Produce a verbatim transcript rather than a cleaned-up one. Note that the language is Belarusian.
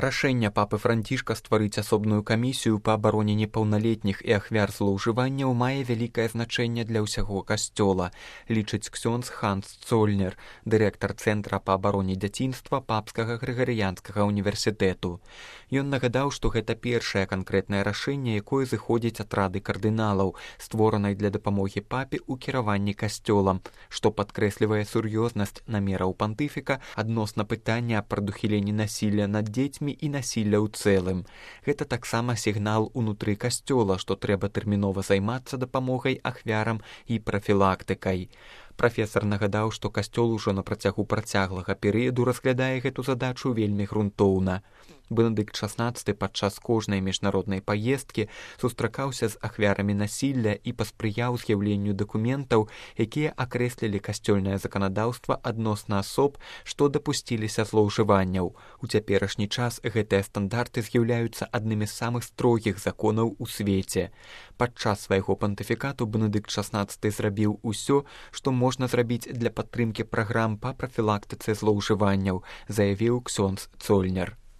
Рашэнне папы Францішка стварыць асобную камісію па абароне непаўналетніх і ахвяр злоўжыванняў мае вялікае значэнне для ўсяго касцёла, лічыць ксёндз Ханс Цольнер, дырэктар Цэнтра па абароне дзяцінства Папскага Грыгарыянскага універсітэту. Ён нагадаў, што гэта першае канкрэтнае рашэнне, якое зыходзіць ад рады кардыналаў, створанай для дапамогі папе ў кіраванні касцёлам, што падкрэслівае сур'ёзнасць намераў пантыфіка адносна пытання аб прадухіленні насілля над дзецьмі і насілля ў цэлым. Гэта таксама сігнал унутры касцёла, што трэба тэрмінова займацца дапамогай ахвярам і прафілактыкай. Прафесар нагадаў, што касцёл ужо на працягу працяглага перыяду разглядае гэту задачу вельмі грунтоўна. Бенедыкт шаснаццаты падчас кожнай міжнароднай паездкі сустракаўся з ахвярамі насілля і паспрыяў з'яўленню дакументаў, якія акрэслілі касцёльнае заканадаўства адносна асоб, што дапусціліся злоўжыванняў. У цяперашні час гэтыя стандарты з'яўляюцца аднымі з самых строгіх законаў у свеце. Падчас свайго пантыфікату Бенедыкт шаснаццаты зрабіў усё, што можна зрабіць для падтрымкі праграм па прафілактыцы злоўжыванняў, заявіў ксёндз Цольнер.